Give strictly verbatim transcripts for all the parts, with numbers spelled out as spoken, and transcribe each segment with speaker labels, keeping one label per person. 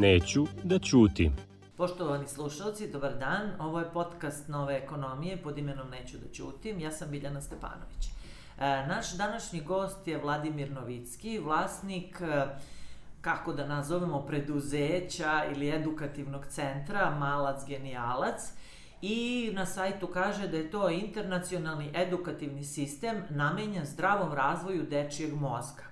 Speaker 1: Neću da ćutim.
Speaker 2: Poštovani slušalci, dobar dan. Ovo je podcast Nove ekonomije pod imenom Neću da ćutim. Ja sam Biljana Stepanović. E, naš današnji gost je Vladimir Novicki, vlasnik, kako da nazovemo, preduzeća ili edukativnog centra Malac Genijalac. I na sajtu kaže da je to internacionalni edukativni sistem namenjen zdravom razvoju dečijeg mozga.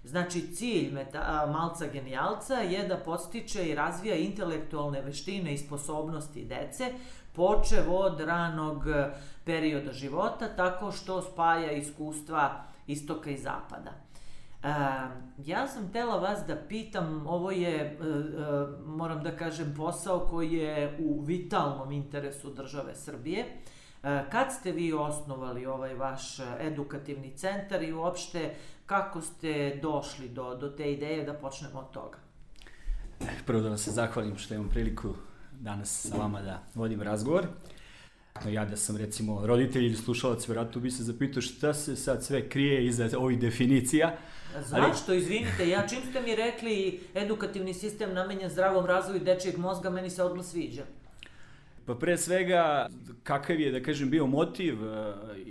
Speaker 2: Znači, cilj meta, Malca Genijalca je da podstiče i razvija intelektualne veštine i sposobnosti dece, počev od ranog perioda života, tako što spaja iskustva istoka i zapada. E, ja sam htela vas da pitam, ovo je, e, e, moram da kažem, posao koji je u vitalnom interesu države Srbije. E, kad ste vi osnovali ovaj vaš edukativni centar i uopšte kako ste došli do, do te ideje da počnemo od toga?
Speaker 3: Prvo da vam se zahvalim što imam priliku danas sa vama da vodim razgovor. Ja da sam recimo roditelj ili slušalac, vjerojatno bi se zapitao šta se sad sve krije iza ovih definicija.
Speaker 2: Zašto? Ali... Izvinite, ja čim ste mi rekli edukativni sistem namenjen zdravom razvoju dečijeg mozga, meni se odmah sviđa.
Speaker 3: Pa pre svega, kakav je, da kažem, bio motiv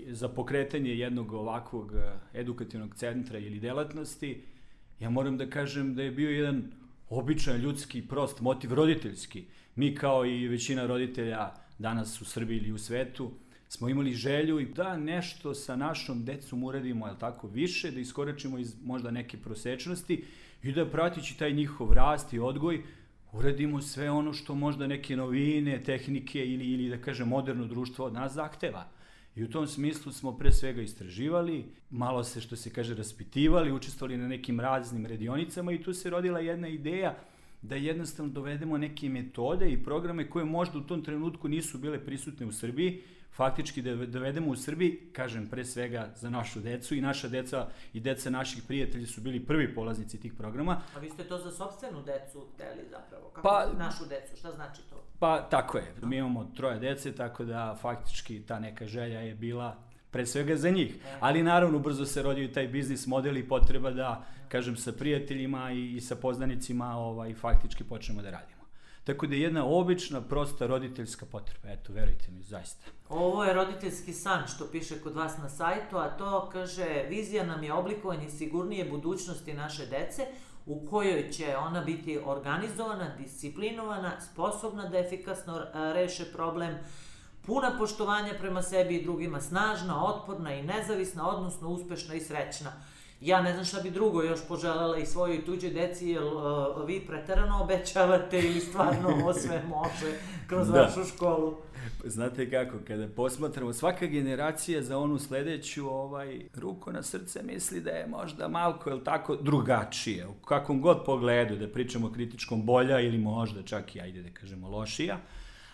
Speaker 3: za pokretanje jednog ovakvog edukativnog centra ili delatnosti, ja moram da kažem da je bio jedan običan ljudski, prost motiv, roditeljski. Mi kao i većina roditelja danas u Srbiji ili u svetu smo imali želju i da nešto sa našom decom uradimo, jel tako, više, da iskoračimo iz možda neke prosečnosti i da pratići taj njihov rast i odgoj uradimo sve ono što možda neke novine, tehnike ili, ili da kažem moderno društvo od nas zahteva. I u tom smislu smo pre svega istraživali, malo se što se kaže raspitivali, učestvovali na nekim raznim radionicama i tu se rodila jedna ideja da jednostavno dovedemo neke metode i programe koje možda u tom trenutku nisu bile prisutne u Srbiji, faktički da dovedemo u Srbiji, kažem pre svega za našu decu i naša deca i deca naših prijatelja su bili prvi polaznici tih programa.
Speaker 2: A vi ste to za sopstvenu decu hteli zapravo? Kako
Speaker 3: pa,
Speaker 2: našu decu? Šta znači to?
Speaker 3: Pa tako je. Mi imamo troje dece, tako da faktički ta neka želja je bila pre svega za njih. Ali naravno brzo se rodio i taj biznis model i potreba da, kažem, sa prijateljima i, i sa poznanicima ovaj, faktički počnemo da radimo. Tako da je jedna obična, prosta roditeljska potreba. Eto, verujte mi, zaista.
Speaker 2: Ovo je roditeljski san što piše kod vas na sajtu, a to kaže, vizija nam je oblikovanje sigurnije budućnosti naše dece u kojoj će ona biti organizovana, disciplinovana, sposobna da efikasno reše problem, puna poštovanja prema sebi i drugima, snažna, otporna i nezavisna, odnosno uspešna i srećna. Ja ne znam šta bi drugo još poželjela i svojoj i tuđoj deci, jer uh, vi preterano obećavate ili stvarno ovo sve može kroz da. vašu školu.
Speaker 3: Znate kako, kada posmatramo, svaka generacija za onu sledeću, ovaj, ruku na srce misli da je možda malko, jel tako, drugačije. U kakvom god pogledu, da pričamo kritičkom, bolja ili možda čak i, ajde da kažemo, lošija.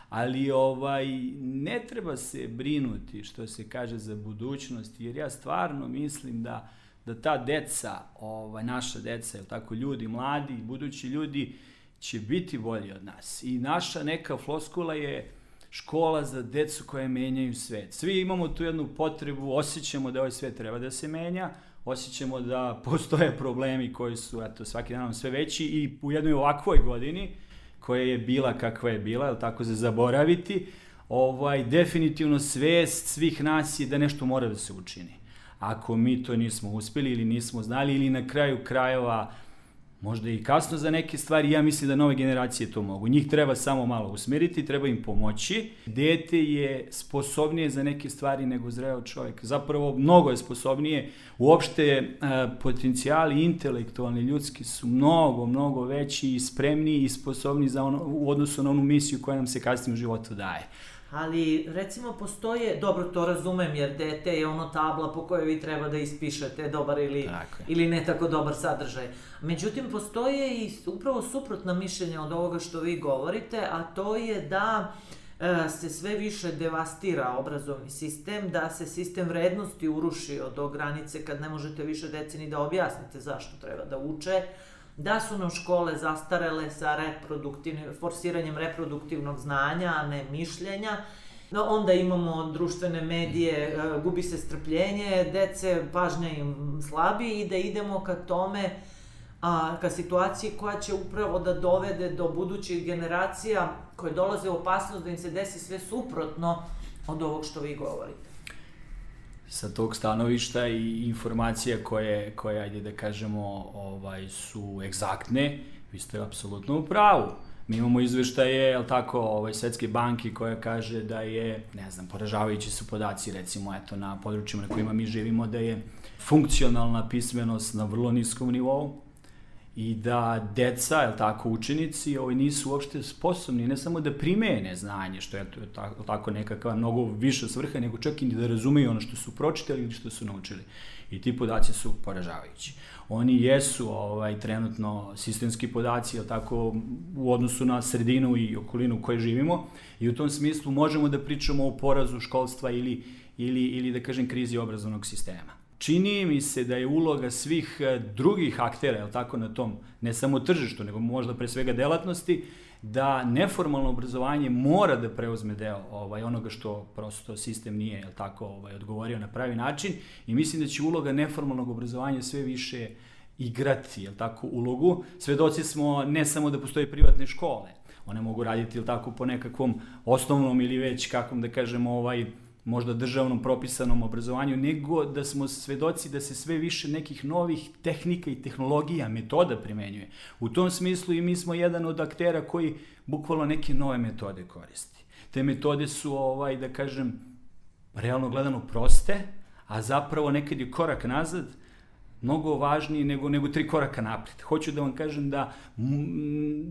Speaker 3: Ali ovaj, ne treba se brinuti, što se kaže, za budućnost, jer ja stvarno mislim da da ta deca, ovaj, naša deca, jel tako, ljudi, mladi, budući ljudi, će biti bolji od nas. I naša neka floskula je škola za decu koje menjaju svet. Svi imamo tu jednu potrebu, osjećamo da ovaj svet treba da se menja, osjećamo da postoje problemi koji su, eto, svaki dan sve veći i u jednoj ovakvoj godini, koja je bila kakva je bila, jel tako, za zaboraviti, ovaj, definitivno svest svih nas je da nešto mora da se učini. Ako mi to nismo uspeli ili nismo znali ili na kraju krajeva možda i kasno za neke stvari, ja mislim da nove generacije to mogu. Njih treba samo malo usmeriti, treba im pomoći. Dete je sposobnije za neke stvari nego zreo čovjek. Zapravo mnogo je sposobnije. Uopšte potencijali intelektualni, ljudski su mnogo, mnogo veći i spremniji i sposobni za ono, u odnosu na onu misiju koja nam se kasnije u životu daje.
Speaker 2: Ali, recimo, postoje, dobro, to razumem, jer dete je ono tabla po kojoj vi treba da ispišete dobar ili, ili ne tako dobar sadržaj. Međutim, postoje i upravo suprotna mišljenja od ovoga što vi govorite, a to je da e, se sve više devastira obrazovni sistem, da se sistem vrednosti urušio do granice kad ne možete više deci ni da objasnite zašto treba da uče, da su nam škole zastarele sa reproduktivnim, forsiranjem reproduktivnog znanja, a ne mišljenja. No, onda imamo društvene medije, gubi se strpljenje, dece, pažnja im slabi i da idemo ka tome a, ka situaciji koja će upravo da dovede do budućih generacija koje dolaze u opasnost da im se desi sve suprotno od ovog što vi govorite.
Speaker 3: Sa tog stanovišta i informacija koje, koje ajde da kažemo, ovaj, su egzaktne, vi ste apsolutno u pravu. Mi imamo izveštaje, jel tako, ovaj, Svetske banke koja kaže da je, ne znam, poražavajući su podaci, recimo, eto, na područjima na kojima mi živimo, da je funkcionalna pismenost na vrlo niskom nivou i da deca, jel tako, učenici, ovaj, nisu uopšte sposobni ne samo da primene znanje, što je tako, tako nekakva mnogo viša svrha, nego čak i da razumeju ono što su pročitali ili što su naučili. I ti podaci su poražavajući. Oni jesu ovaj, trenutno sistemski podaci, jel tako, u odnosu na sredinu i okolinu u kojoj živimo, i u tom smislu možemo da pričamo o porazu školstva ili, ili, ili da kažem, krizi obrazovnog sistema. Čini mi se da je uloga svih drugih aktera, jel tako, na tom, ne samo tržištu, nego možda pre svega delatnosti, da neformalno obrazovanje mora da preuzme deo ovaj, onoga što prosto sistem nije, jel tako, ovaj, odgovorio na pravi način, i mislim da će uloga neformalnog obrazovanja sve više igrati, jel tako, ulogu. Svedoci smo ne samo da postoje privatne škole, one mogu raditi, jel tako, po nekakvom osnovnom ili već, kakvom da kažemo, ovaj, možda državnom propisanom obrazovanju, nego da smo svedoci da se sve više nekih novih tehnika i tehnologija, metoda primenjuje. U tom smislu i mi smo jedan od aktera koji bukvalno neke nove metode koristi. Te metode su, ovaj, da kažem, realno gledano proste, a zapravo nekad je korak nazad mnogo važniji nego, nego tri koraka napred. Hoću da vam kažem da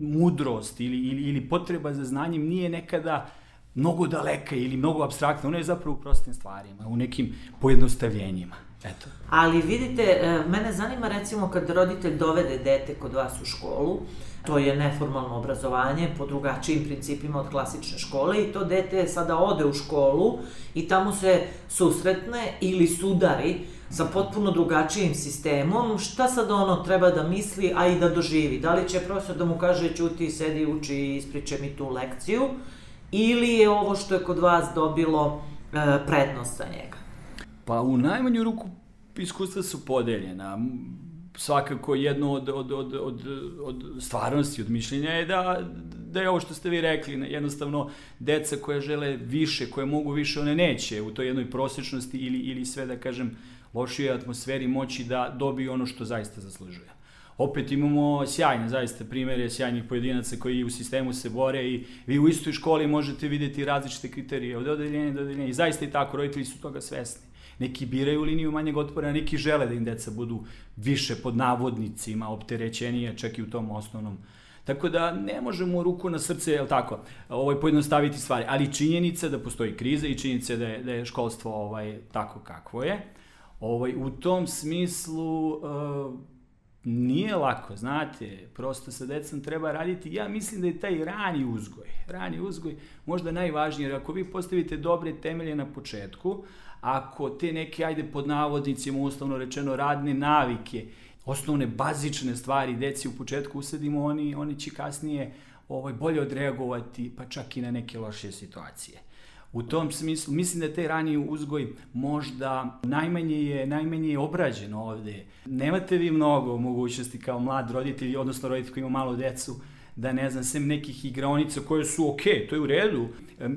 Speaker 3: mudrost ili, ili, ili potreba za znanjem nije nekada mnogo daleka ili mnogo apstraktna, ono je zapravo u prostim stvarima, u nekim pojednostavljenjima. Eto.
Speaker 2: Ali vidite, mene zanima recimo kad roditelj dovede dete kod vas u školu, to je neformalno obrazovanje po drugačijim principima od klasične škole, i to dete sada ode u školu i tamo se susretne ili sudari sa potpuno drugačijim sistemom. Šta sad ono treba da misli, a i da doživi? Da li će profesor da mu kaže ćuti, sedi, uči i ispričaj mi tu lekciju, ili je ovo što je kod vas dobilo e, prednost za njega?
Speaker 3: Pa u najmanju ruku iskustva su podeljena. Svakako jedno od, od, od, od, od stvarnosti, od mišljenja je da, da je ovo što ste vi rekli, jednostavno deca koje žele više, koje mogu više, one neće u toj jednoj prosječnosti ili, ili sve, da kažem, lošijoj atmosferi moći da dobiju ono što zaista zaslužuje. Opet imamo sjajne, zaista, primere sjajnih pojedinaca koji u sistemu se bore i vi u istoj školi možete vidjeti različite kriterije od odeljenja do odeljenja i zaista i tako, roditelji su toga svesni. Neki biraju liniju manjeg otpora, neki žele da im deca budu više pod navodnicima, opterećenije, čak i u tom osnovnom. Tako da ne možemo ruku na srce, jel tako, ovaj, pojednostaviti stvari, ali činjenica da postoji kriza i činjenica da je, da je školstvo ovaj, tako kakvo je. Ovaj, u tom smislu uh, nije lako, znate, prosto sa decom treba raditi. Ja mislim da je taj rani uzgoj, rani uzgoj možda najvažniji, jer ako vi postavite dobre temelje na početku, ako te neke, ajde pod navodnicima, uslovno rečeno, radne navike, osnovne bazične stvari deci u početku usadimo, oni, oni će kasnije ovaj, bolje odreagovati, pa čak i na neke loše situacije. U tom smislu, mislim da taj rani uzgoj možda najmanje je, najmanje je obrađen ovde. Nemate vi mnogo mogućnosti kao mlad roditelj, odnosno roditelj koji ima malo decu, da ne znam, sem nekih igraonica koje su ok, to je u redu.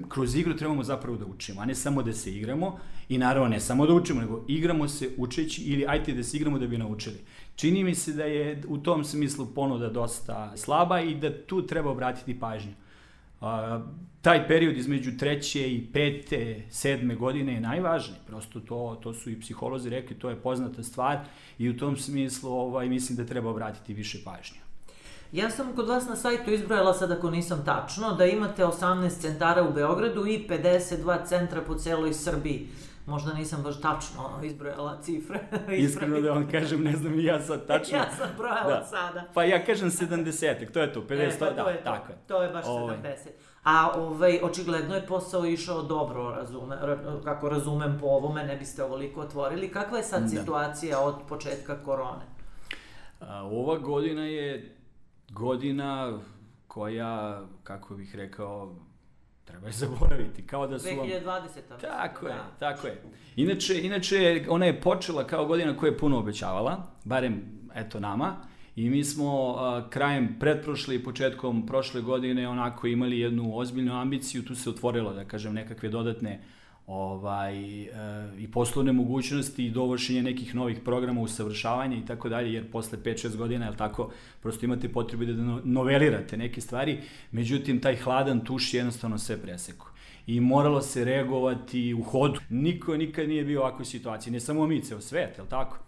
Speaker 3: Kroz igru trebamo zapravo da učimo, a ne samo da se igramo. I naravno ne samo da učimo, nego igramo se učeći ili ajte da se igramo da bi naučili. Čini mi se da je u tom smislu ponuda dosta slaba i da tu treba obratiti pažnju. Uh, taj period između treće i pete, sedme godine je najvažniji. Prosto to, to su i psiholozi rekli, to je poznata stvar i u tom smislu ovaj, mislim da treba obratiti više pažnje.
Speaker 2: Ja sam kod vas na sajtu izbrojala, sad ako nisam tačno, da imate osamnaest centara u Beogradu i pedeset dva centra po celoj Srbiji. Možda nisam baš tačno izbrojala cifre.
Speaker 3: Iskreno da vam kažem, ne znam i ja sad tačno.
Speaker 2: Ja sam brojala da. Sada.
Speaker 3: Pa ja kažem sedamdesetak, to je to, pedeset,
Speaker 2: e, pa to
Speaker 3: da,
Speaker 2: je to.
Speaker 3: tako je.
Speaker 2: To je baš ovaj. sedamdeset. A ovaj, očigledno je posao išao dobro, razume, kako razumem po ovome, ne biste ovoliko otvorili. Kakva je sad da. situacija od početka korone?
Speaker 3: A, ova godina je godina koja, kako bih rekao, treba je zaboraviti, kao da su vam...
Speaker 2: dve hiljade dvadeseta.
Speaker 3: Tako
Speaker 2: da.
Speaker 3: je, tako je. Inače, inače, ona je počela kao godina koja je puno obećavala, barem, eto, nama, i mi smo uh, krajem pretprošle i početkom prošle godine onako imali jednu ozbiljnu ambiciju, tu se otvorilo, da kažem, nekakve dodatne ovaj, e, i poslovne mogućnosti i dovršenje nekih novih programa, usavršavanja i tako dalje, jer posle pet šest godina, jel tako, prosto imate potrebu da novelirate neke stvari, međutim, taj hladan tuš jednostavno sve presekao. I moralo se reagovati u hodu. Niko nikad nije bio u ovakvoj situaciji, ne samo mi, ceo svet, jel tako?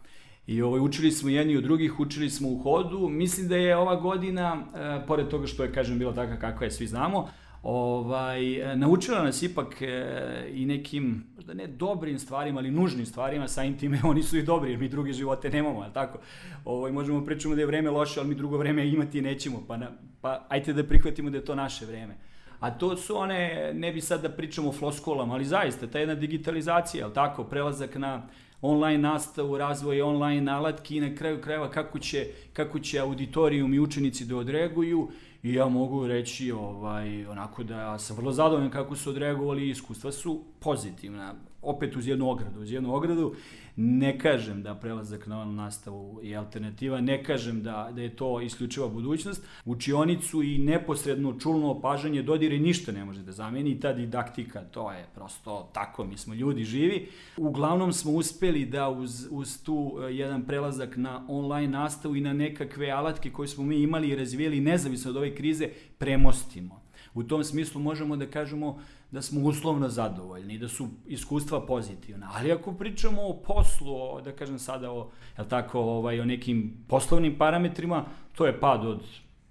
Speaker 3: I ovaj, učili smo jedni od drugih, učili smo u hodu. Mislim da je ova godina, e, pored toga što je, kažem, bila takva kakva je, svi znamo, Ovaj, naučila nas ipak e, i nekim, možda ne dobrim stvarima, ali nužnim stvarima, samim time oni su i dobri, jer mi druge živote nemamo, ali tako? Ovaj, možemo pričamo da je vreme loše, ali mi drugo vreme imati nećemo, pa, na, pa ajte da prihvatimo da je to naše vreme. A to su one, ne bi sad da pričamo o floskolama, ali zaista, ta jedna digitalizacija, ali tako, prelazak na online nastavu, razvoj online alatki i na kraju krajeva kako će, kako će auditorijum i učenici da odreaguju. I ja mogu reći ovaj, onako da sam vrlo zadovoljan kako su odreagovali i iskustva su pozitivna. Opet uz jednu ogradu, uz jednu ogradu. Ne kažem da prelazak na online nastavu je alternativa, ne kažem da, da je to isključiva budućnost. Učionicu i neposredno čulno opažanje dodire ništa ne može da zameni i ta didaktika, to je prosto tako, mi smo ljudi živi. Uglavnom smo uspeli da uz, uz tu jedan prelazak na online nastavu i na nekakve alatke koje smo mi imali i razvijeli nezavisno od ove krize premostimo. U tom smislu možemo da kažemo da smo uslovno zadovoljni i da su iskustva pozitivna. Ali ako pričamo o poslu, o, da kažem sada o, jel tako, ovaj, o nekim poslovnim parametrima, to je pad od,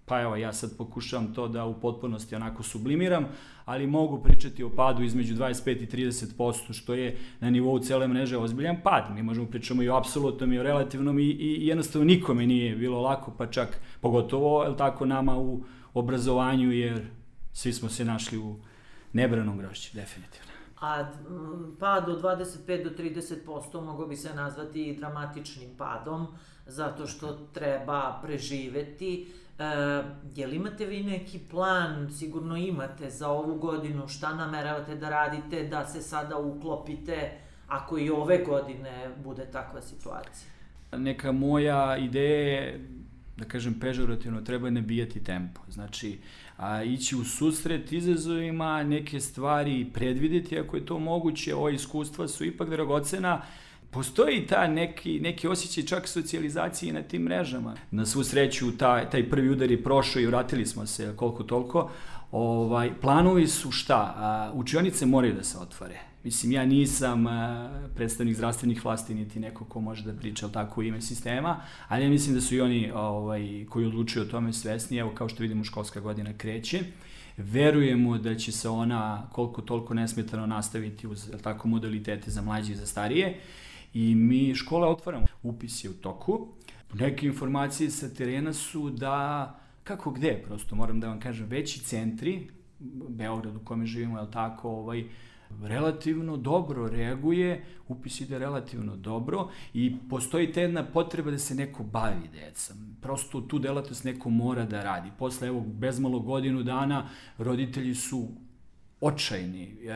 Speaker 3: pa evo ja sad pokušavam to da u potpunosti onako sublimiram, ali mogu pričati o padu između dvadeset pet i trideset posto, što je na nivou cele mreže ozbiljan pad. Mi možemo pričamo i o apsolutnom i o relativnom i, i jednostavno nikome nije bilo lako, pa čak pogotovo, jel tako, nama u obrazovanju, jer svi smo se našli u nebranom grošću, definitivno.
Speaker 2: A pad od dvadeset pet do trideset posto mogao bi se nazvati i dramatičnim padom, zato što treba preživeti. E, je li imate vi neki plan, sigurno imate, za ovu godinu, šta nameravate da radite, da se sada uklopite, ako i ove godine bude takva situacija?
Speaker 3: Neka moja ideja je, da kažem pežorativno, treba nabijati tempo. Znači, a, ići u susret izazovima, neke stvari predvideti ako je to moguće. Ova iskustva su ipak dragocena. Postoji ta neki, neki osjećaj čak socijalizacije na tim mrežama. Na svu sreću taj, taj prvi udar je prošao i vratili smo se koliko toliko. Ovaj, planovi su šta? A, učionice moraju da se otvore. Mislim, ja nisam a, predstavnik zdravstvenih vlasti, niti neko ko može da priča tako u ime sistema, ali ja mislim da su i oni ovaj, koji odlučuju o tome svesni. Evo, kao što vidimo, školska godina kreće. Verujemo da će se ona koliko toliko nesmetano nastaviti uz tako modalitete za mlađe i za starije. I mi škole otvaramo. Upis je u toku. Neke informacije sa terena su da, kako gde, prosto moram da vam kažem, veći centri, Beograd u kome živimo, je tako, ovaj, relativno dobro reaguje, upis ide relativno dobro i postoji ta jedna potreba da se neko bavi decom. Prosto tu delatnost neko mora da radi. Posle, evo, bezmalo godinu dana, roditelji su očajni. E,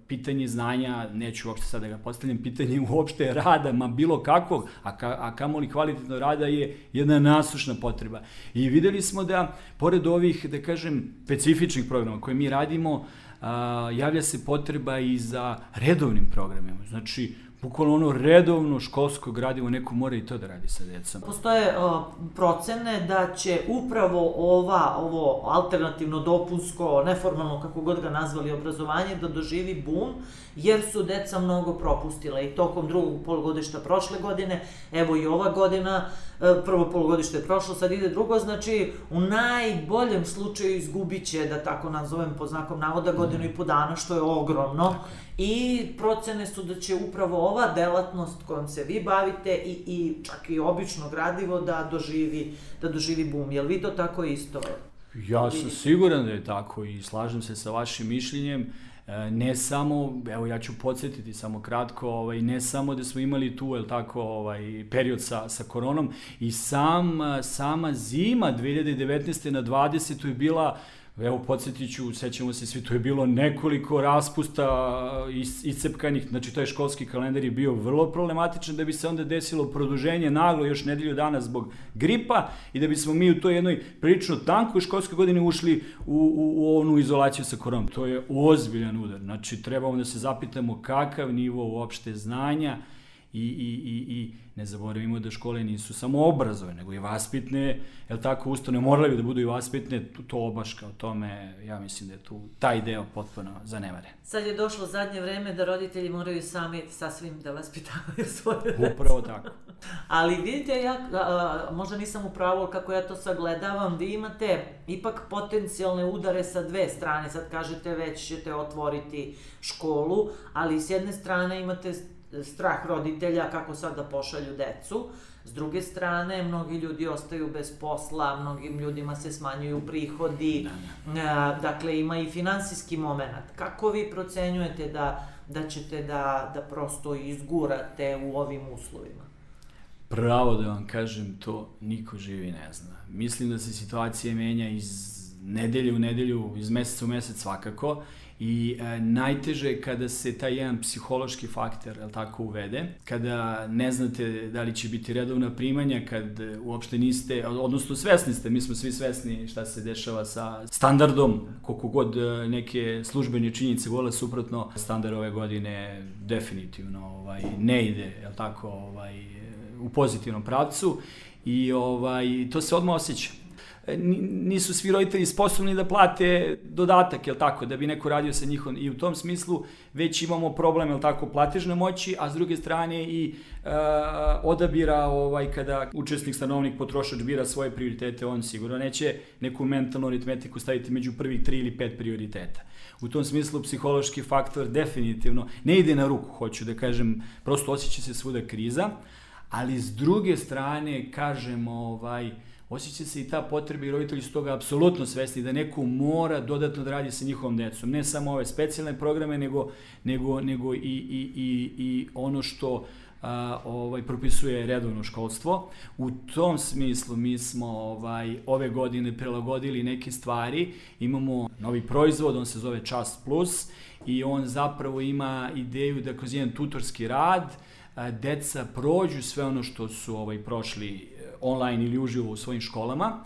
Speaker 3: pitanje znanja, neću uopšte sad da ga postavljam, pitanje uopšte rada, ma bilo kakvog, a, ka, a kamoli kvalitetno rada je jedna nasušna potreba. I videli smo da, pored ovih, da kažem, specifičnih programa koje mi radimo, a, javlja se potreba i za redovnim programima. Znači, bukvalno ono redovno školsko gradivo, neko mora i to da radi sa decom.
Speaker 2: Postoje uh, procene da će upravo ova, ovo alternativno, dopunsko, neformalno, kako god ga nazvali, obrazovanje, da doživi bum, jer su deca mnogo propustila i tokom drugog polugodišta prošle godine, evo i ova godina, prvo polugodište je prošlo, sad ide drugo, znači u najboljem slučaju izgubit će, da tako nazovem po znakom navoda, godinu i po dana, što je ogromno. I procene su da će upravo ova delatnost kojom se vi bavite i, i čak i obično gradivo da doživi, da doživi bum. Jel vi to tako isto?
Speaker 3: Ja sam siguran da je tako i slažem se sa vašim mišljenjem. Ne samo, evo ja ću podsjetiti samo kratko, ovaj, ne samo da smo imali tu, jel tako, ovaj, period sa, sa koronom i sam, sama zima dve hiljade devetnaeste na dvadesetu je bila Evo, podsjetit ću, sećamo se svi, to je bilo nekoliko raspusta iscepkanih, znači to je školski kalendar je bio vrlo problematičan, da bi se onda desilo produženje naglo još nedelju dana zbog gripa i da bismo mi u toj jednoj prilično tankoj školskoj godini ušli u, u, u onu izolaciju sa koronom. To je ozbiljan udar, znači trebamo da se zapitamo kakav nivo uopšte znanja i, i, i, i ne zaboravimo da škole nisu samo obrazovne, nego i vaspitne, jel tako, ustanove morale bi da budu i vaspitne, to obaška o tome, ja mislim da je tu taj deo potpuno zanemaren.
Speaker 2: Sad je došlo zadnje vreme da roditelji moraju sami sasvim da vaspitavaju svoje dece.
Speaker 3: Upravo tako.
Speaker 2: Ali vidite, ja a, možda nisam u pravu kako ja to sagledavam, vi imate ipak potencijalne udare sa dve strane, sad kažete već ćete otvoriti školu, ali s jedne strane imate strah roditelja kako sad da pošalju decu. S druge strane, mnogi ljudi ostaju bez posla, mnogim ljudima se smanjuju prihodi, dakle ima i finansijski moment. Kako vi procenjujete da, da ćete da, da prosto izgurate u ovim uslovima?
Speaker 3: Pravo da vam kažem, to niko živi ne zna. Mislim da se situacija menja iz nedelje u nedelju, iz meseca u mesec svakako. I e, najteže je kada se taj jedan psihološki faktor, jel tako, uvede, kada ne znate da li će biti redovna primanja, kad uopšte niste, odnosno svesni ste, mi smo svi svesni šta se dešava sa standardom, koliko god neke službene činjenice vole suprotno, standard ove godine definitivno ovaj, ne ide, jel tako, ovaj, u pozitivnom pravcu i ovaj, to se odmah osjeća. Nisu svi roditelji sposobni da plate dodatak, jel tako, da bi neko radio sa njihom i u tom smislu već imamo problem, jel tako, platežne moći, a s druge strane i e, odabira, ovaj, kada učesnik, stanovnik, potrošač bira svoje prioritete, on sigurno neće neku mentalnu aritmetiku staviti među prvih tri ili pet prioriteta. U tom smislu psihološki faktor definitivno ne ide na ruku, hoću da kažem, prosto osjeća se svuda kriza, ali s druge strane, kažem, ovaj, osjeća se i ta potreba i roditelji su toga apsolutno svesni da neko mora dodatno da radi sa njihovom decom. Ne samo ove specijalne programe, nego, nego, nego i, i, i, i ono što a, ovaj, propisuje redovno školstvo. U tom smislu mi smo ovaj, ove godine prilagodili neke stvari. Imamo novi proizvod, on se zove Čast Plus i on zapravo ima ideju da kroz jedan tutorski rad a, deca prođu sve ono što su ovaj, prošli online ili uživo u svojim školama,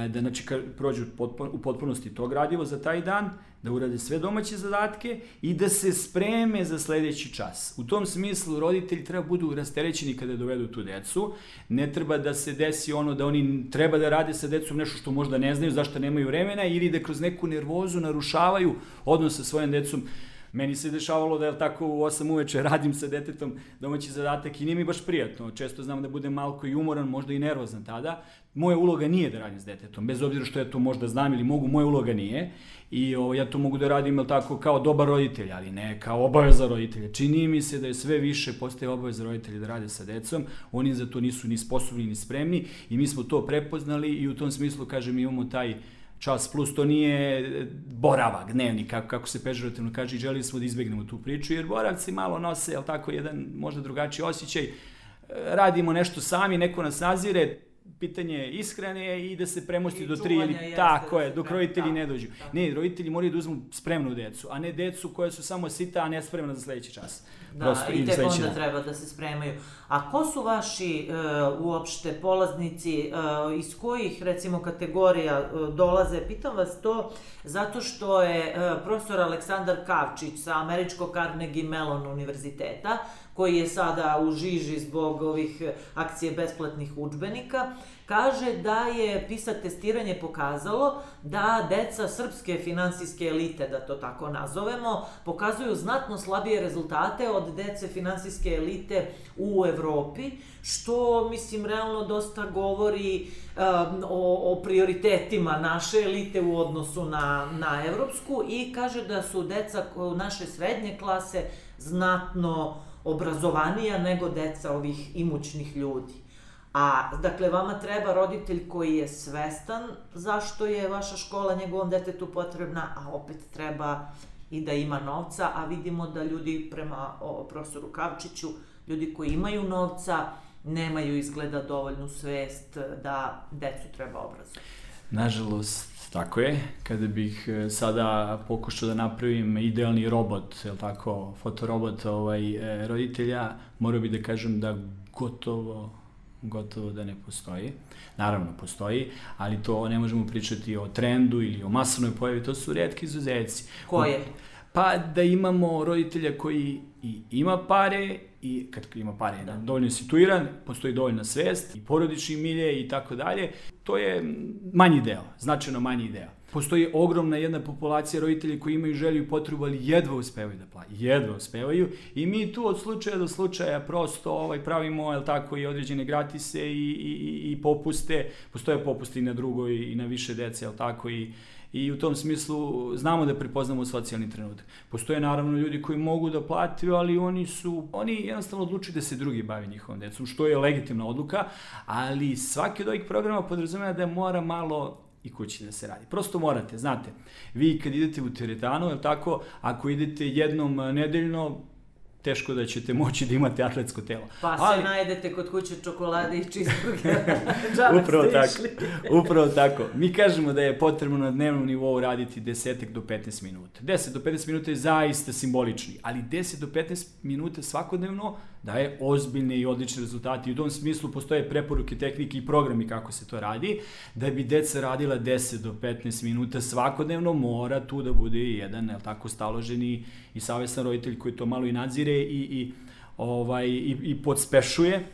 Speaker 3: da znači prođu u potpunosti to gradivo za taj dan, da urade sve domaće zadatke i da se spreme za sledeći čas. U tom smislu roditelji treba budu rasterećeni kada dovedu tu decu, ne treba da se desi ono da oni treba da rade sa decom nešto što možda ne znaju, zašto nemaju vremena ili da kroz neku nervozu narušavaju odnos sa svojom decom. Meni se dešavalo da, je tako, u osam uveče radim sa detetom domaći zadatak i nije mi baš prijatno. Često znam da budem malko i umoran, možda i nervozan tada. Moja uloga nije da radim s detetom, bez obzira što ja to možda znam ili mogu, moja uloga nije. I o, ja to mogu da radim, jel tako, kao dobar roditelj, ali ne kao obaveza roditelja. Čini mi se da je sve više postaje obaveza roditelja da rade sa decom, oni za to nisu ni sposobni ni spremni i mi smo to prepoznali i u tom smislu, kažem, imamo taj Čas Plus, to nije boravak, dnevnik, kako, kako se pežorativno kaže, i želili smo da izbegnemo tu priču, jer boravci malo nose, jel tako, jedan možda drugačiji osjećaj, radimo nešto sami, neko nas nazire, pitanje ishrane i da se premosti I do tri ili tako je, dok roditelji da, ne dođu. Da. Ne, roditelji moraju da uzmu spremnu decu, a ne decu koja su samo sita, a ne spremna za sledeći čas.
Speaker 2: Da, Prosto, i tek onda dan. Treba da se spremaju. A ko su vaši uh, uopšte polaznici, uh, iz kojih, recimo, kategorija uh, dolaze? Pitam vas to zato što je uh, profesor Aleksandar Kavčić sa američkog Carnegie Mellon univerziteta, koji je sada u žiži zbog ovih akcije besplatnih udžbenika, kaže da je PISA testiranje pokazalo da deca srpske finansijske elite, da to tako nazovemo, pokazuju znatno slabije rezultate od dece finansijske elite u Evropi, što, mislim, realno dosta govori um, o, o prioritetima naše elite u odnosu na, na evropsku i kaže da su deca naše srednje klase znatno obrazovanija nego deca ovih imućnih ljudi. A, dakle, vama treba roditelj koji je svestan zašto je vaša škola njegovom detetu potrebna, a opet treba i da ima novca, a vidimo da ljudi, prema o, profesoru Kavčiću, ljudi koji imaju novca, nemaju izgleda dovoljnu svest da decu treba obrazovati.
Speaker 3: Nažalost, tako je. Kada bih sada pokušao da napravim idealni robot, je li tako, fotorobot ovaj, roditelja, morao bih da kažem da gotovo, gotovo da ne postoji. Naravno, postoji, ali to ne možemo pričati o trendu ili o masovnoj pojavi, to su retki izuzeci.
Speaker 2: Koje?
Speaker 3: Pa da imamo roditelja koji i ima pare, i kad ima pare, da. dovoljno je situiran, postoji dovoljna svest, i porodični milje i tako dalje. To je manji deo, značajno manji deo. Postoji ogromna jedna populacija roditelja koji imaju želju i potrebu, ali jedva uspevaju da plate. Jedva uspevaju. I mi tu od slučaja do slučaja prosto ovaj, pravimo, jel tako, i određene gratise i, i, i popuste. Postoje popuste i na drugoj i na više dece, jel tako, i I u tom smislu znamo da prepoznamo socijalni trenutak. Postoje naravno ljudi koji mogu da plate, ali oni su, oni jednostavno odlučuju da se drugi bavi njihovom decom, što je legitimna odluka, ali svaki od ovih programa podrazumeva da mora malo i kući da se radi. Prosto morate, znate, vi kad idete u teretanu, je li tako, ako idete jednom nedeljno, teško da ćete moći da imate atletsko telo.
Speaker 2: Pa se ali... najedete kod kuće čokolade i cheeseburgera.
Speaker 3: Upravo tako. Upravo tako. Mi kažemo da je potrebno na dnevnom nivou raditi deset do petnaest minuta. deset do petnaest minuta je zaista simbolični, ali deset do petnaest minuta svakodnevno daje ozbiljne i odlične rezultate. I u tom smislu postoje preporuke, tehnike i programi kako se to radi. Da bi deca radila deset do petnaest minuta svakodnevno, mora tu da bude jedan, jel tako, staloženi i savestan roditelj koji to malo i nadzire i, i, ovaj, i, i podspešuje.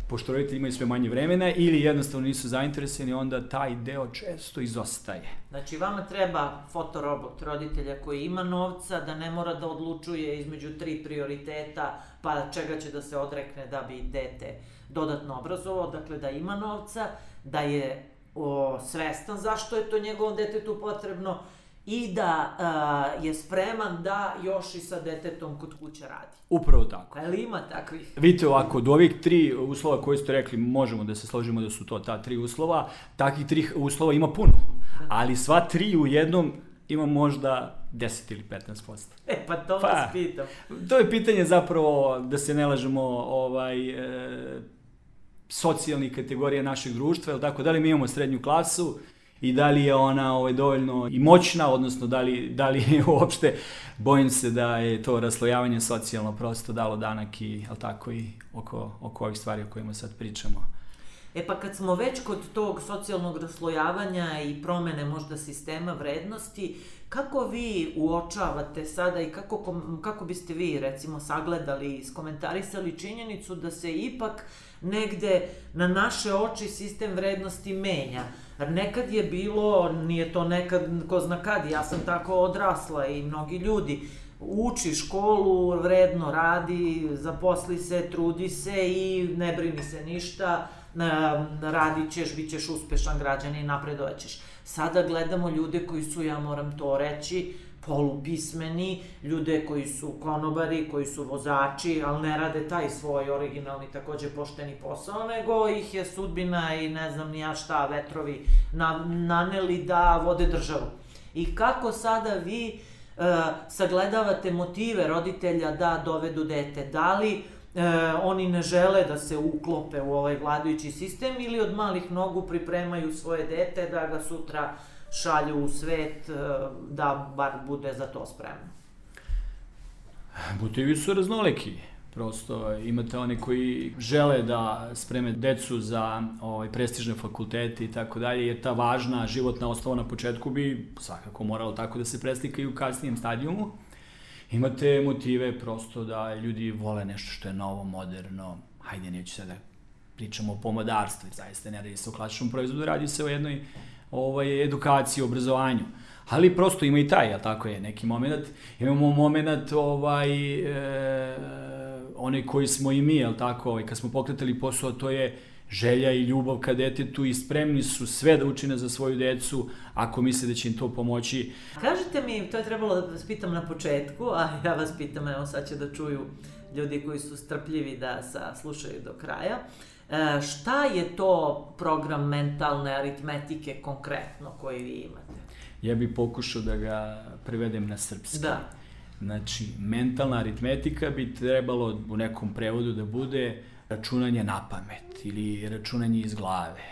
Speaker 3: Pošto roditelji imaju sve manje vremena ili jednostavno nisu zainteresovani, onda taj deo često izostaje.
Speaker 2: Znači, vama treba fotorobot roditelja koji ima novca, da ne mora da odlučuje između tri prioriteta, pa čega će da se odrekne da bi dete dodatno obrazovao, dakle da ima novca, da je o, svestan zašto je to njegovom detetu potrebno i da uh, je spreman da još i sa detetom kod kuće radi.
Speaker 3: Upravo tako.
Speaker 2: Ali ima takvih?
Speaker 3: Vidite ovako, od ovih tri uslova koje ste rekli, možemo da se složimo da su to ta tri uslova, takvih tri uslova ima puno, ali sva tri u jednom ima možda deset ili petnaest posto.
Speaker 2: E, pa to pa, vas pitam.
Speaker 3: To je pitanje zapravo, da se ne lažemo, ovaj, e, socijalnih kategorija našeg društva, ili tako, da li mi imamo srednju klasu, i da li je ona ovaj, dovoljno i moćna, odnosno da li, da li je uopšte, bojim se da je to raslojavanje socijalno prosto dalo danak i, jel tako, i oko, oko ovih stvari o kojima sad pričamo.
Speaker 2: E pa kad smo već kod tog socijalnog raslojavanja i promene možda sistema vrednosti, kako vi uočavate sada i kako, kako biste vi recimo sagledali i iskomentarisali činjenicu da se ipak negde na naše oči sistem vrednosti menja? Jer nekad je bilo, nije to nekad, ko zna kad, ja sam tako odrasla i mnogi ljudi, uči školu, vredno radi, zaposli se, trudi se i ne brini se ništa, radit ćeš, bit ćeš uspešan građanin i napredovaćeš. Sada gledamo ljude koji su, ja moram to reći, polupismeni, ljude koji su konobari, koji su vozači, ali ne rade taj svoj originalni, takođe pošteni posao, nego ih je sudbina i ne znam ni ja šta, vetrovi na, naneli da vode državu. I kako sada vi uh, sagledavate motive roditelja da dovedu dete? Da li E, oni ne žele da se uklope u ovaj vladajući sistem ili od malih nogu pripremaju svoje dete da ga sutra šalju u svet, e, da bar bude za to spremno?
Speaker 3: Motivi su raznoliki. Prosto imate one koji žele da spreme decu za ovaj, prestižne fakultete i tako dalje, jer ta važna životna osnova na početku bi svakako moralo tako da se preslika i u kasnijem stadijumu. Imate motive prosto da ljudi vole nešto što je novo, moderno. Hajde, neću sada pričamo o pomodarstvu, zaista ne radi se o klasičnom proizvodu, radi se o jednoj ovaj, edukaciji, obrazovanju. Ali prosto ima i taj, jel tako je, neki moment. Imamo moment, ovaj, e, onaj koji smo i mi, jel tako, ovaj, kad smo pokretali posao, to je želja i ljubav ka detetu i spremni su sve da učine za svoju decu ako misle da će im to pomoći.
Speaker 2: Kažite mi, to je trebalo da vas pitam na početku, a ja vas pitam, evo sad će da čuju ljudi koji su strpljivi da slušaju do kraja. E, šta je to program mentalne aritmetike konkretno koji vi imate?
Speaker 3: Ja bih pokušao da ga prevedem na srpski.
Speaker 2: Da.
Speaker 3: Znači, mentalna aritmetika bi trebalo u nekom prevodu da bude računanje na pamet ili računanje iz glave.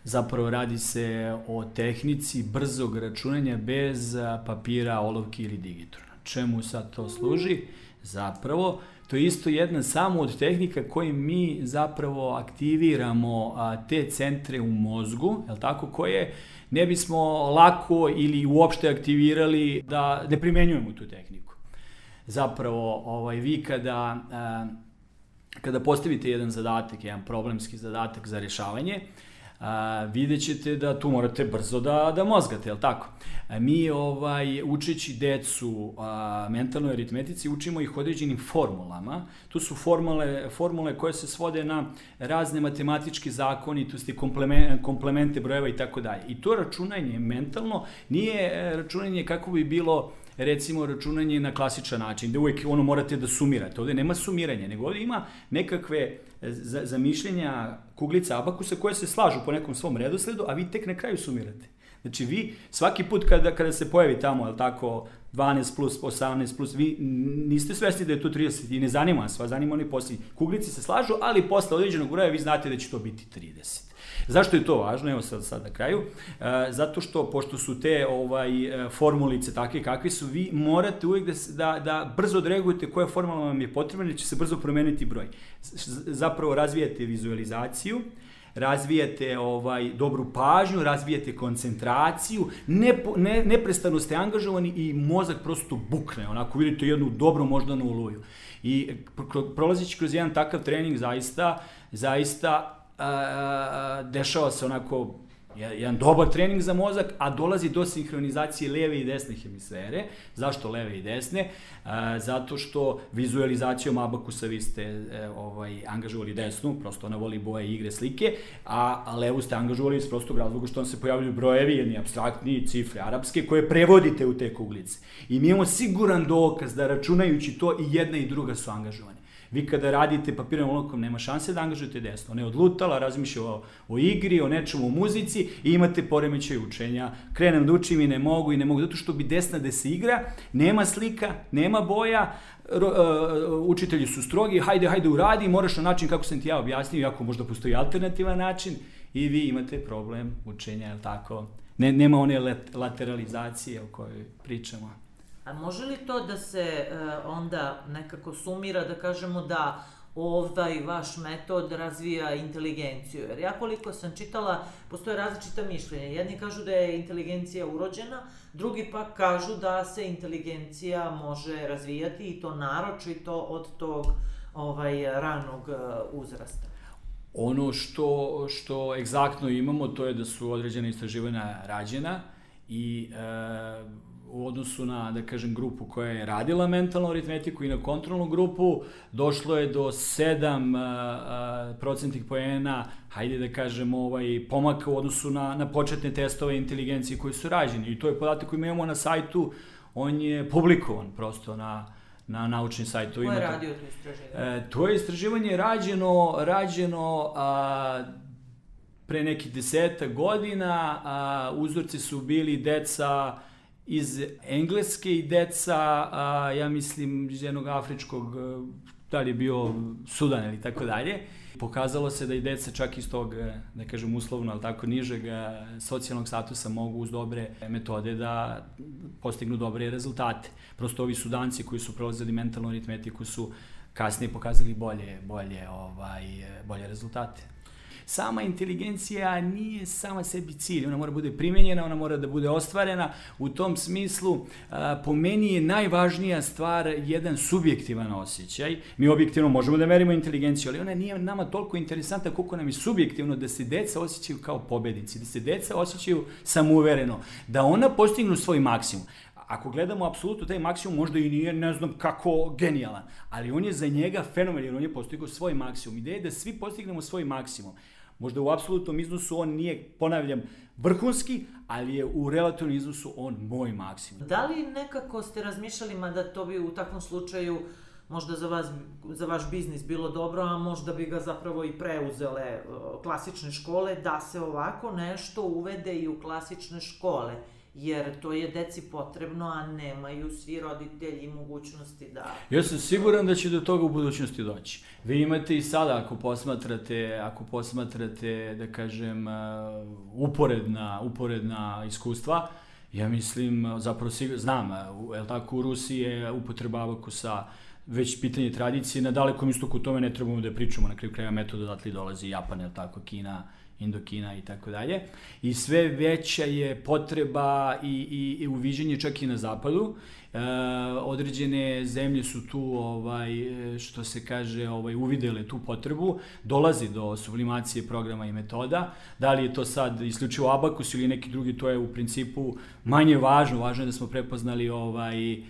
Speaker 3: Zapravo radi se o tehnici brzog računanja bez papira, olovke ili digitrona. Čemu sad to služi? Zapravo, to je isto jedna samo od tehnika kojim mi zapravo aktiviramo a, te centre u mozgu, jel tako, koje ne bismo lako ili uopšte aktivirali da ne primenjujemo tu tehniku. Zapravo, ovaj, vi kada, a, kada postavite jedan zadatak, jedan problemski zadatak za rješavanje, a, vidjet ćete da tu morate brzo da, da mozgate, jel tako? A mi ovaj, učeći decu a, mentalnoj aritmetici učimo ih određenim formulama. Tu su formule, formule koje se svode na razne matematičke zakonitosti, komplemente, komplemente brojeva i tako dalje. I to računanje mentalno nije računanje kako bi bilo recimo računanje na klasičan način, gde uvijek ono morate da sumirate. Ovdje nema sumiranja, nego ovdje ima nekakve zamišljenja kuglica abakusa koje se slažu po nekom svom redosledu, a vi tek na kraju sumirate. Znači vi svaki put kada, kada se pojavi tamo, jel tako, dvanaest plus, osamnaest plus, vi niste svesni da je to trideset i ne zanima vas, vas zanima oni posljednji. Kuglici se slažu, ali posle određenog broja vi znate da će to biti trideset. Zašto je to važno? Evo sad, sad na kraju. E, zato što, pošto su te ovaj, formulice takve kakve su, vi morate uvijek da, da, da brzo odreagujete koja formula vam je potrebna, jer će se brzo promeniti broj. Zapravo razvijate vizualizaciju, razvijate ovaj, dobru pažnju, razvijate koncentraciju, ne, ne, neprestano ste angažovani i mozak prosto bukne, onako vidite jednu dobru moždanu oluju. I prolazeći kroz jedan takav trening zaista, zaista a, dešava se onako jedan dobar trening za mozak, a dolazi do sinhronizacije leve i desne hemisfere. Zašto leve i desne? A, zato što vizualizacijom abakusa vi ste e, ovaj, angažovali desnu, prosto ona voli boje, igre, slike, a, a levu ste angažovali iz prostog razloga što vam se pojavljaju brojevi, jedni apstraktni, cifre arapske, koje prevodite u te kuglice. I mi imamo siguran dokaz da računajući to i jedna i druga su angažovane. Vi kada radite papirnom olovkom nema šanse da angažujete desno. Ona je odlutala, razmišlja o, o igri, o nečemu, o muzici i imate poremećaj učenja. Krenem da učim i ne mogu i ne mogu, zato što bi desna da se igra, nema slika, nema boja, ro, uh, učitelji su strogi, hajde, hajde uradi, moraš na način kako sam ti ja objasnio, iako možda postoji alternativan način i vi imate problem učenja, je li tako? Ne, nema one lateralizacije o kojoj pričamo.
Speaker 2: A može li to da se e, onda nekako sumira, da kažemo da ovaj vaš metod razvija inteligenciju? Jer ja koliko sam čitala, postoje različita mišljenja. Jedni kažu da je inteligencija urođena, drugi pak kažu da se inteligencija može razvijati i to naročito od tog ovaj, ranog uzrasta.
Speaker 3: Ono što, što egzaktno imamo, to je da su određena istraživanja rađena i e, u odnosu na, da kažem, grupu koja je radila mentalnu aritmetiku i na kontrolnu grupu, došlo je do sedam procentnih poena, hajde da kažem, ovaj, pomaka u odnosu na, na početne testove inteligencije koji su rađeni. I to je podatak koji imamo na sajtu, on je publikovan prosto na, na naučnim sajtu.
Speaker 2: Ko je radio to istraživanje?
Speaker 3: E, to je istraživanje rađeno, rađeno a, pre nekih desetak godina, a, uzorci su bili deca iz Engleske i deca, a, ja mislim, iz jednog afričkog, da li je bio Sudan ili tako dalje. Pokazalo se da i deca čak iz tog, da kažem uslovno, ali tako nižeg socijalnog statusa mogu uz dobre metode da postignu dobre rezultate. Prosto ovi Sudanci koji su prolazili mentalnu aritmetiku su kasnije pokazali bolje, bolje, ovaj, bolje rezultate. Sama inteligencija nije sama sebi cilj, ona mora bude primenjena, ona mora da bude ostvarena. U tom smislu, po meni je najvažnija stvar jedan subjektivan osjećaj. Mi objektivno možemo da merimo inteligenciju, ali ona nije nama toliko interesantna koliko nam je subjektivno da se deca osjećaju kao pobednici, da se deca osjećaju samouvereno, da ona postignu svoj maksimum. Ako gledamo apsolutno taj maksimum, možda i nije, ne znam kako, genijalan, ali on je za njega fenomen, jer on je postigao svoj maksimum. Ideja je da svi postignemo svoj maksimum. Možda u apsolutnom iznosu on nije, ponavljam, vrhunski, ali je u relativnom iznosu on moj maksimum.
Speaker 2: Da li nekako ste razmišljali, mada to bi u takvom slučaju možda za vas, za vaš biznis bilo dobro, a možda bi ga zapravo i preuzele klasične škole, da se ovako nešto uvede i u klasične škole? jer to je deci potrebno, a nemaju svi roditelji mogućnosti da...
Speaker 3: Ja sam siguran da će do toga u budućnosti doći. Vi imate i sada, ako posmatrate, ako posmatrate, da kažem, uporedna, uporedna iskustva, ja mislim, zapravo znam, je li tako, u Rusiji je upotreba abakusa već pitanje tradicije, na Dalekom istoku tome ne trebamo da pričamo, na kraju kraja metoda odatle dolazi Japan, je li tako, Kina, Indokina i tako dalje. I sve veća je potreba i, i, i uviđenje čak i na zapadu. E, određene zemlje su tu, ovaj, što se kaže, ovaj, uvidele tu potrebu. Dolazi do sublimacije programa i metoda. Da li je to sad isključivo abakus ili neki drugi, to je u principu manje važno. Važno je da smo prepoznali ovaj,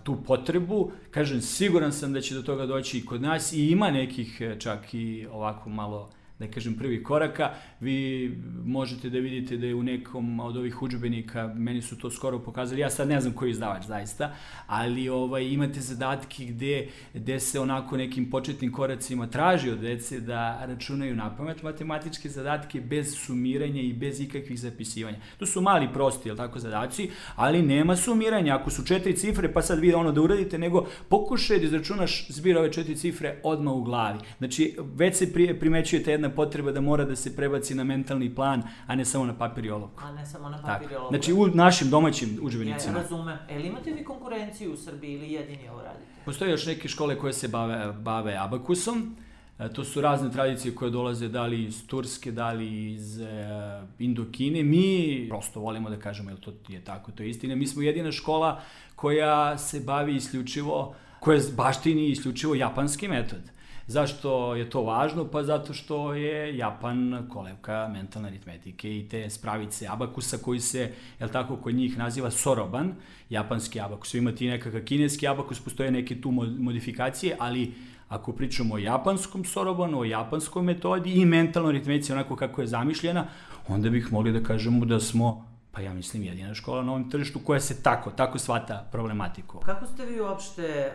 Speaker 3: tu potrebu. Kažem, siguran sam da će do toga doći i kod nas i ima nekih čak i ovako malo, da kažem, prvi koraka. Vi možete da vidite da je u nekom od ovih udžbenika, meni su to skoro pokazali, ja sad ne znam koji izdavač zaista, ali ovaj, imate zadatke gde, gde se onako nekim početnim koracima traži od dece da računaju napamet matematičke zadatke bez sumiranja i bez ikakvih zapisivanja. To su mali, prosti, jel tako, zadaci, ali nema sumiranja. Ako su četiri cifre, pa sad vi ono da uradite, nego pokušaj da izračunaš zbir ove četiri cifre odmah u glavi. Znači, već se primećujete jedna potreba da mora da se prebaci na mentalni plan, a ne samo na papir i olovku.
Speaker 2: A ne samo na papir i olovku.
Speaker 3: Znači, u našim domaćim udžbenicima.
Speaker 2: Ja razumem. E li imate vi konkurenciju u Srbiji ili jedini ovo radite?
Speaker 3: Postoje još neke škole koje se bave, bave abakusom. E, to su razne tradicije koje dolaze da li iz Turske, da li iz e, Indokine. Mi prosto volimo da kažemo, jer to je tako, to je istina. Mi smo jedina škola koja se bavi isključivo, koja baštini isključivo japanski metod. Zašto je to važno? Pa zato što je Japan kolevka mentalne aritmetike i te spravice abakusa koji se, jel tako, kod njih naziva soroban, japanski abakus. Imate i nekakav kineski abakus, postoje neke tu modifikacije, ali ako pričamo o japanskom sorobanu, o japanskoj metodi i mentalnoj aritmetici onako kako je zamišljena, onda bih mogli da kažemo da smo, pa ja mislim, jedina škola na ovom tržištu koja se tako, tako shvata problematiku.
Speaker 2: Kako ste vi uopšte,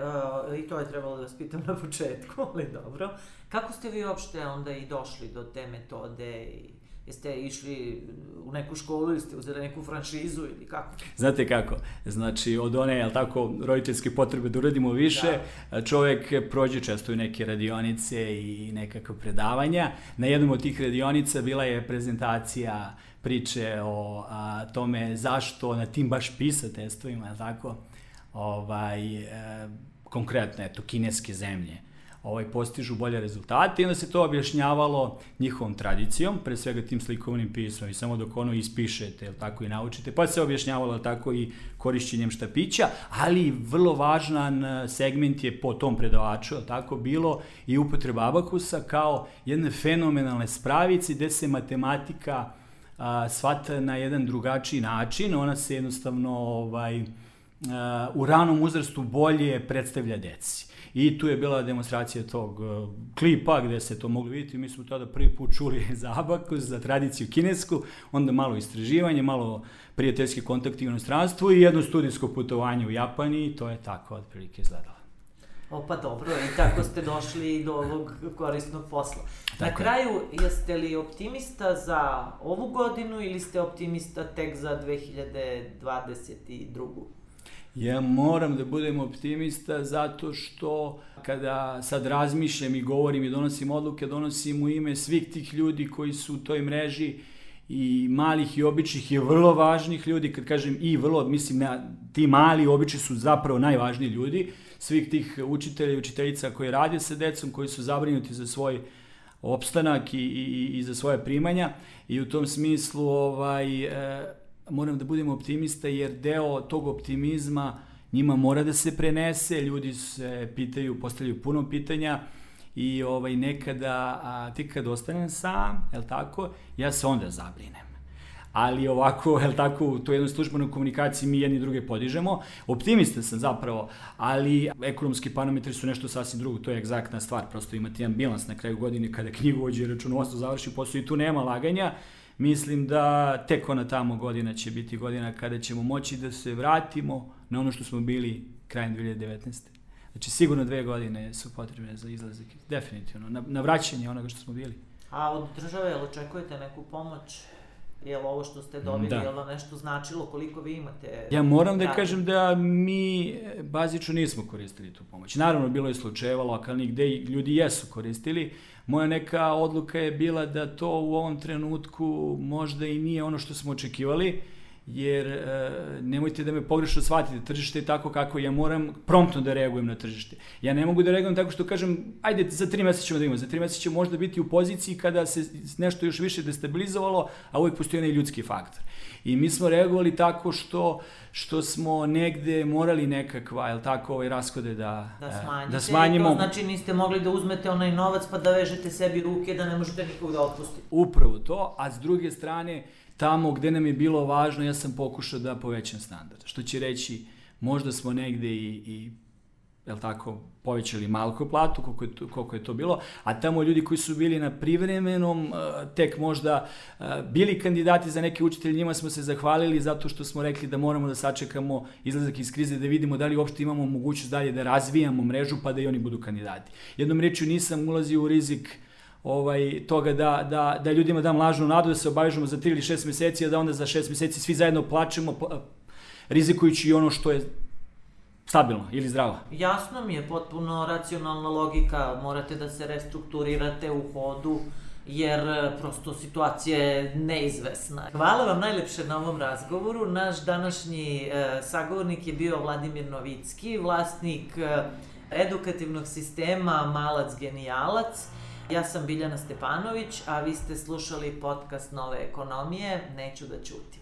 Speaker 2: uh, i to je trebalo da vas pitam na početku, ali dobro, kako ste vi uopšte onda i došli do te metode i jeste išli u neku školu ili ste uzeli neku franšizu ili kako?
Speaker 3: Znate kako, znači od one, jel tako, roditeljske potrebe da uradimo više, da. Čovjek prođe često i neke radionice i nekakve predavanja. Na jednom od tih radionica bila je prezentacija priče o a, tome zašto na tim baš PISA testovima, jel tako, ovaj, e, konkretno, eto, kineske zemlje, ovaj, postižu bolje rezultate i onda se to objašnjavalo njihovom tradicijom, pre svega tim slikovnim pismom i samo dok ono ispišete, jel tako, i naučite, pa se objašnjavalo tako i korišćenjem štapića, ali vrlo važan segment je po tom predavaču, jel tako, bilo i upotreba abakusa kao jedne fenomenalne spravice gde se matematika a, shvata na jedan drugačiji način, ona se jednostavno ovaj, a, u ranom uzrastu bolje predstavlja deci. I tu je bila demonstracija tog uh, klipa gde se to moglo vidjeti. Mi smo tada prvi put čuli za abakus, za tradiciju kinesku, onda malo istraživanje, malo prijateljski kontakti u inostranstvu i jedno studijsko putovanje u Japani i to je tako otprilike izgledalo.
Speaker 2: O, pa dobro, i tako ste došli do ovog korisnog posla.
Speaker 3: Tako
Speaker 2: Na kraju, jeste li optimista za ovu godinu ili ste optimista tek za dve hiljade dvadeset drugu?
Speaker 3: Ja moram da budem optimista zato što kada sad razmišljam i govorim i donosim odluke, donosim u ime svih tih ljudi koji su u toj mreži i malih i običnih i vrlo važnih ljudi, kad kažem i vrlo, mislim, na, ti mali i obični su zapravo najvažniji ljudi, svih tih učitelja i učiteljica koji rade sa decom, koji su zabrinuti za svoj opstanak i, i, i za svoje primanja i u tom smislu ovaj, e, moram da budem optimista jer deo tog optimizma njima mora da se prenese, ljudi se pitaju, postavljaju puno pitanja i ovaj, nekada, a, ti kad ostanem sam, jel tako, ja se onda zabrinem. Ali ovako, jel tako, u toj jednoj službenoj komunikaciji mi jedni druge podižemo. Optimista sam zapravo, ali ekonomski parametri su nešto sasvim drugo, to je egzaktna stvar, prosto imate jedan bilans na kraju godine kada knjigovođe i računovodstvo završi posao i tu nema laganja. Mislim da tek ona tamo godina će biti godina kada ćemo moći da se vratimo na ono što smo bili krajem dve hiljade devetnaeste. Znači sigurno dve godine su potrebne za izlazak, definitivno, na, na vraćanje onoga što smo bili.
Speaker 2: A od države, jel očekujete neku pomoć? Jel ovo što ste dobili,
Speaker 3: Da.
Speaker 2: jel vam nešto značilo, koliko vi imate?
Speaker 3: Ja moram da
Speaker 2: radi?
Speaker 3: kažem da mi bazično nismo koristili tu pomoć. Naravno, bilo je slučajeva lokalnih gde ljudi jesu koristili. Moja neka odluka je bila da to u ovom trenutku možda i nije ono što smo očekivali, jer e, nemojte da me pogrešno shvatite, tržište je tako kako ja moram promptno da reagujem na tržište. Ja ne mogu da reagujem tako što kažem, ajde, za tri meseca ćemo da imamo, za tri meseca ćemo možda biti u poziciji kada se nešto još više destabilizovalo, a uvijek postoji onaj ljudski faktor. I mi smo reagovali tako što, što smo negde morali nekakva, jel tako, ovaj rashode da,
Speaker 2: Da smanjite,
Speaker 3: da smanjimo.
Speaker 2: to znači niste mogli da uzmete onaj novac pa da vežete sebi ruke da ne možete nikog da otpustite.
Speaker 3: Upravo to, a s druge strane, tamo gde nam je bilo važno, ja sam pokušao da povećam standard. Što će reći, možda smo negde i, i jel tako, povećali malko platu, koliko je, to, koliko je to bilo, a tamo ljudi koji su bili na privremenom, tek možda bili kandidati za neke učitelje, njima smo se zahvalili zato što smo rekli da moramo da sačekamo izlazak iz krize, da vidimo da li uopšte imamo mogućnost dalje da razvijamo mrežu, pa da i oni budu kandidati. Jednom rečju, nisam ulazio u rizik ovaj, toga da, da, da ljudima dam lažnu nadu, da se obavežemo za tri ili šest meseci, a da onda za šest meseci svi zajedno plačemo, rizikujući i ono što je stabilno ili zdravo.
Speaker 2: Jasno mi je, potpuno racionalna logika, morate da se restrukturirate u hodu, jer prosto situacija je neizvesna. Hvala vam najlepše na ovom razgovoru. Naš današnji e, sagovornik je bio Vladimir Novicki, vlasnik e, edukativnog sistema Malac Genijalac. Ja sam Biljana Stepanović, a vi ste slušali podcast Nove ekonomije, Neću da ćutim.